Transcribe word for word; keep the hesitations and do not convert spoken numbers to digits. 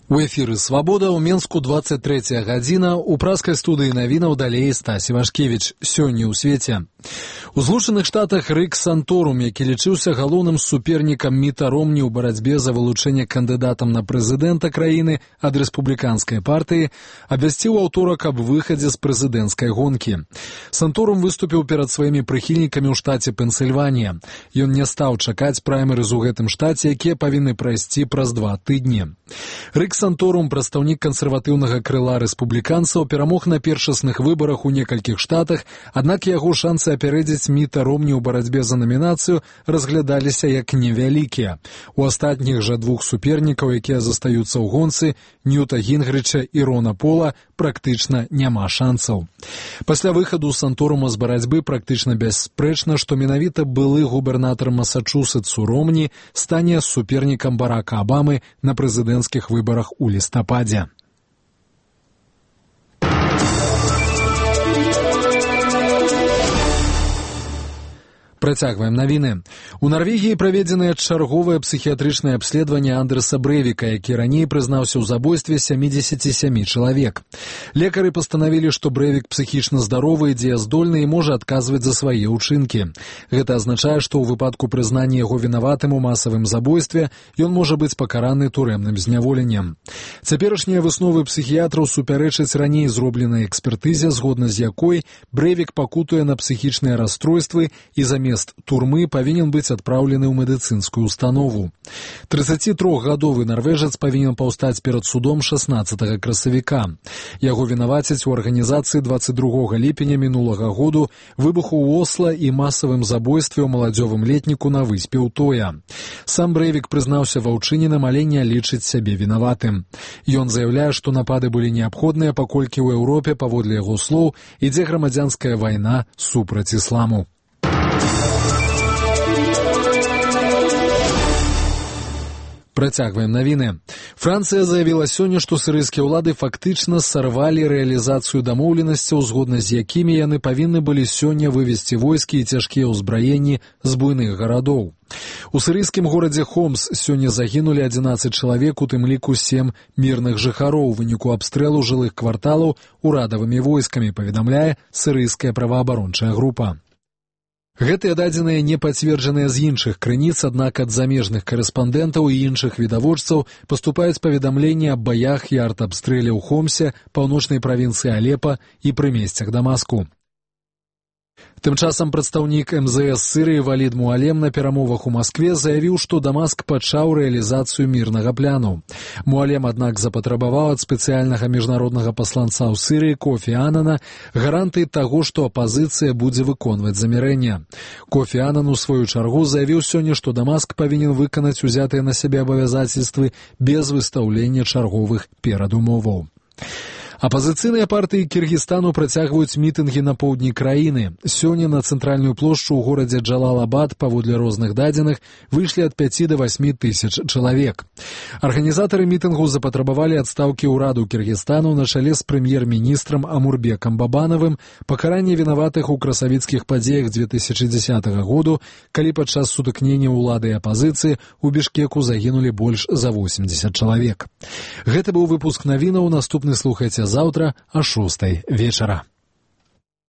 У эфіры «Свабода» ў Менску двадцать третья гадзіна, у праскай студыі навінаў далей Стась Івашкевіч. Сёння ў свеце. У Злучаных Штатах Рик Санторум, які лічыўся галоўным супернікам Міта Ромні ў барацьбе за вылучэнне кандыдатам на прэзідэнта краіны ад рэспубліканскай партыі, абвясціў аўторак аб выхадзе з прэзідэнцкай гонкі. Санторум выступіў перад сваімі прыхільнікамі ў штаце Пенсільванія. Ён не стаў чакаць праймерыз у гэтым штаце, якія павінны прайсці праз два тыдні. Рик Санторум, прадстаўнік кансерватыўнага крыла рэспубліканцаў, перамог на першасных выбарах у некалькіх штатах, аднак яго шансы апярэдзіць Міта Ромні ў барацьбе за намінацыю разглядаліся як невялікія. У астатніх жа двух супернікаў, якія застаюцца ў гонцы, Ньюта Гінгрыча і Рона Пола, практычна няма шансаў. Пасля выхаду Санторума з барацьбы практычна бясспрэчна, што менавіта былы губернатар Масачусетсу Ромні стане супернікам Барака Абамы на прэзідэнцкіх выбарах у лістападзе. Працягваем навіны. У Нарвегіі праведзенае чарговае псіхіятрычнае абследаванне Андрэса Брэвіка, які раней прызнаўся ў забойстве сямідзесяці сямі чалавек. Лекары пастанавілі, што Брэвік псіхічна здаровы, дзеяздольны і можа адказваць за свае ўчынкі. Гэта азначае, што ў выпадку прызнання яго вінаватым у масавым забойстве ён можа быць пакараны турэмным зняволеннем. Цяперашнія высновы псіхіятраў супярэчаць раней зробленай экспертызе, згодна з якой Брэвік пакутуе на псіхічныя расстройствы і замест турмы павінен быць адпраўлены ў медыцынскую установу. трыццацітрохгадовы нарвежец павінен паўстаць перад судом шаснаццатага красавіка. Яго вінавацяць у арганізацыі дваццаць другога ліпеня мінулага году, выбуху ў Осла і масавым забойстве ў маладзёвым летніку на выспе Утоя. Сам Брэвік прызнаўся ва ўчыненым, але не лічыць сябе вінаватым. Ён заяўляе, што напады былі неабходныя, паколькі ў Еўропе, паводле яго слоў, ідзе грамадзянская вайна супраць ісламу. Працягваем навіны. Францыя заявіла сёння, што сірыйскія ўлады фактычна сарвалі рэалізацыю дамоўленасцяў, згодна з якімі яны павінны былі сёння вывесці войскі і цяжкія ўзбраенні з буйных гарадоў. У сірыйскім горадзе Хомс сёння загінулі адзінаццаць чалавек, у тым ліку сем мірных жыхароў у выніку абстрэлу жылых кварталаў урадавымі войскамі, паведамляе сірыйская праваабарончая група. Гэтыя дадзеныя не пацверджаныя з іншых крыніц, аднак ад замежных карэспандэнтаў і іншых відавочцаў паступаюць паведамленні аб баях і артабстрэле ў Хомсе, паўночнай правінцыі Алепа і прымесцях Дамаску. Тым часам прадстаўнік эм зэ эс Сірыі Валід Муалем на перамовах у Маскве заявіў, што Дамаск пачаў рэалізацыю мірнага пляну. Муалем, аднак, запатрабаваў ад спецыяльнага міжнароднага пасланца ў Сірыі Кофі Анана гарантыі таго, што апазіцыя будзе выконваць замірэнне. Кофі Анан у сваю чаргу заявіў сёння, што Дамаск павінен выканаць узятыя на сябе абавязацельствы без выстаўлення чарговых перадумоваў. Апазіцыйныя партыі Кіргізстану працягваюць мітынгі на поўдні краіны. Сёння на цэнтральную плошчу ў горадзе Джалалабад, паводле розных дадзеных, выйшлі ад пяці да васьмі тысяч чалавек. Арганізатары мітынгу запатрабавалі адстаўкі ўраду Кіргізстану на чале з прэм'ер-міністрам Амурбекам Бабанавым, пакаранне вінаватых у красавіцкіх падзеях дзве тысячы дзесятага году, калі падчас сутыкнення ўлады і апазіцыі ў Бішкеку загінулі больш за восемдзесят чалавек. Гэта быў выпуск навінаў, наступны слухайце заўтра о шостай вечара.